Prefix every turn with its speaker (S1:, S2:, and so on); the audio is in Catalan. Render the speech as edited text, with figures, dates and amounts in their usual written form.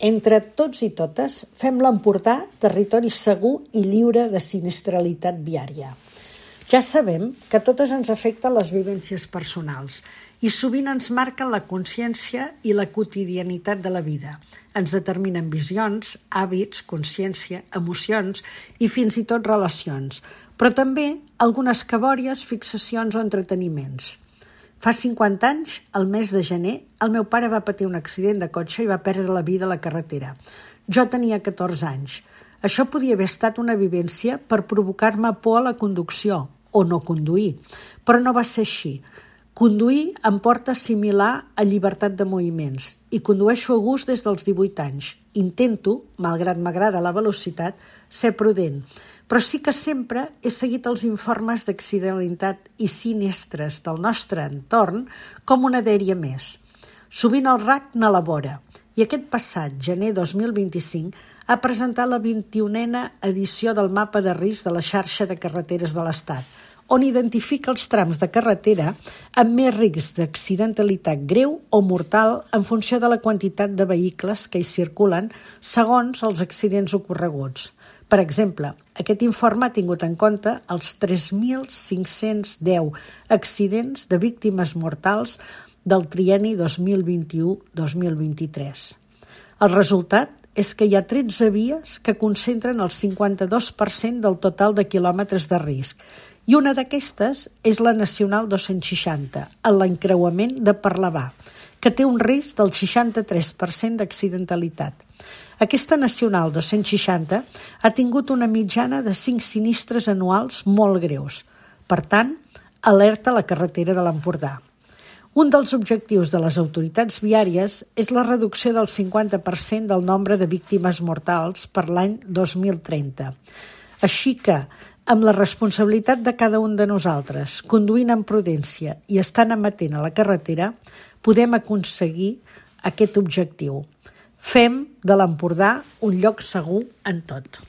S1: Entre tots i totes, fem l'Empordà territori segur i lliure de sinistralitat viària. Ja sabem que a totes ens afecten les vivències personals i sovint ens marquen la consciència i la quotidianitat de la vida. Ens determinen visions, hàbits, consciència, emocions i fins i tot relacions, però també algunes cabòries, fixacions o entreteniments. Fa 50 anys, al mes de gener, el meu pare va patir un accident de cotxe i va perdre la vida a la carretera. Jo tenia 14 anys. Això podia haver estat una vivència per provocar-me por a la conducció o no conduir, però no va ser així. Conduir em porta similar a llibertat de moviments i condueixo a gust des dels 18 anys. Intento, malgrat m'agrada la velocitat, ser prudent, però sí que sempre he seguit els informes d'accidentalitat i sinistres del nostre entorn com una dèria més. Sovint el RAC n'elabora i aquest passat gener 2025 ha presentat la 21a edició del mapa de risc de la xarxa de carreteres de l'Estat, on identifica els trams de carretera amb més risc d'accidentalitat greu o mortal en funció de la quantitat de vehicles que hi circulen segons els accidents ocorreguts. Per exemple, aquest informe ha tingut en compte els 3.510 accidents de víctimes mortals del trienni 2021-2023. El resultat és que hi ha 13 vies que concentren el 52% del total de quilòmetres de risc, i una d'aquestes és la Nacional 260, en l'encreuament de Parlavà, que té un risc del 63% d'accidentalitat. Aquesta Nacional 260 ha tingut una mitjana de 5 sinistres anuals molt greus. Per tant, alerta a la carretera de l'Empordà. Un dels objectius de les autoritats viàries és la reducció del 50% del nombre de víctimes mortals per l'any 2030. Així que, amb la responsabilitat de cada un de nosaltres, conduint amb prudència i estant amatent a la carretera, podem aconseguir aquest objectiu. Fem de l'Empordà un lloc segur en tot.